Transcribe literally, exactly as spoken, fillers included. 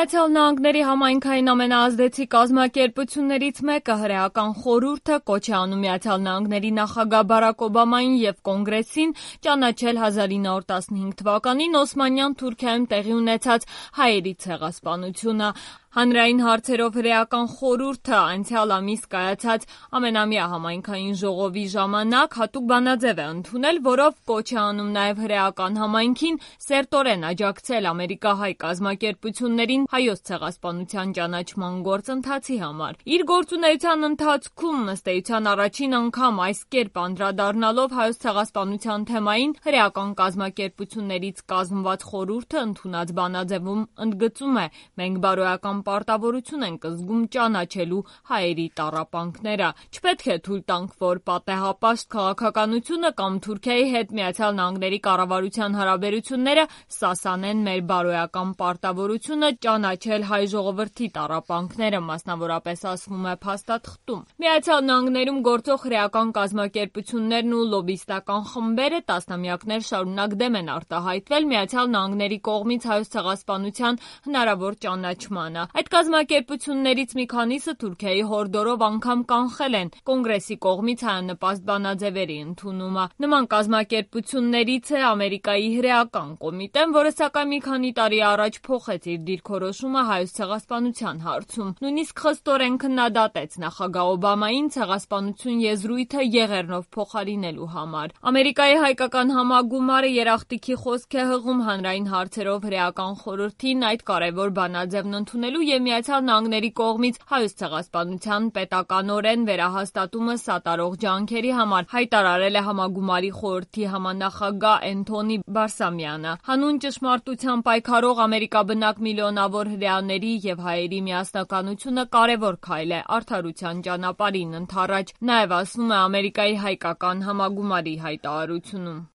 Միացյալ Նահանգների համայնքային ամենաազդեցիկ կազմակերպություններից մեկը հրեական խորհուրդը կոչ է անում Միացյալ Նահանգների նախագահ Բարաք Օբամային և Կոնգրեսին ճանաչել հազար ինը հարյուր տասնհինգ թվականին Օսմանյան Թուրքիայում տեղի ունեցած հայերի ցեղասպանությունը։ Հանրային հարցերով հրեական խորհուրդը անցյալ ամիս կայացած ամենամյա համայնքային ժողովի ժամանակ հատուկ բանաձև է ընդունել, որով կոչ է անում նաև հրեական համայնքին սերտորեն աջակցել ամերիկահայ կազմակերպություններին հայոց ցեղասպանության ճանաչման գործընթացի համար։ Իր գործունեության ընթացքում ըստ էության առաջին անգամ այս կերպ անդրադառնալով հայոց ցեղասպանության թեմային հրեական կազմակերպություններից կազմված խորհուրդը ընդունած բանաձևում ընդգծում է. մենք բարոյական պարտավորություն ենք զգում ճանաչելու հայերի տառապանքները։ Չպետք է թույլ տանք, որ պատեհապաշտ քաղաքականությունը կամ Թուրքիայի հետ Միացյալ Նահանգների կառավարության հարաբերությունները սասանեն մեր բարոյական պարտավորությունը ճանաչել հայ ժողովրդի տառապանքները, մասնավորապես ասվում է փաստաթղթում։ Միացյալ Նահանգներում գործող հրեական կազմակերպություններն ու լոբբիստական խմբերը տասնամյակներ շարունակ դեմ են արտահայտվել Միացյալ Նահանգների կողմից հայոց ցեղասպանության հնարավոր ճանաչմանը։ Այդ կազմակերպություններից մի քանիսը Թուրքիայի հորդորով անգամ կանխել են Կոնգրեսի կողմից հայանպաստ բանաձևերի ընդունումը։ Նման կազմակերպություններից է Ամերիկայի հրեական կոմիտեն, որը սակայն մի քանի տարի առաջ փոխեց իր դիրքորոշումը հայոց ցեղասպանության հարցում։ Նույնիսկ խստորեն քննադատեց նախագահ Օբամային ցեղասպանություն եզրույթը եղեռնով փոխարինելու համար։ Ամերիկայի հայկական համագումարը երախտիկի խոսք է հղում հանրային հարցերով հրեական խորհրդին այդ կարևոր բանաձևն ընդունելու և Միացյալ Նահանգների կողմից հայոց ցեղասպանության պետականորեն վերահաստատումը սատարող ջանքերի համար, հայտարարել է Համագումարի խորհրդի համանախագահ Էնթոնի Բարսամյանը։ Հանուն ճշմարտության պայքարող ամերիկաբնակ միլիոնավոր հրեաների և հայերի միասնականությունը կարևոր քայլ է արդարության ճանապարհին ընդառաջ, նաև ասվում է Ամերիկայի հայկական համագումարի հայտարարությունում։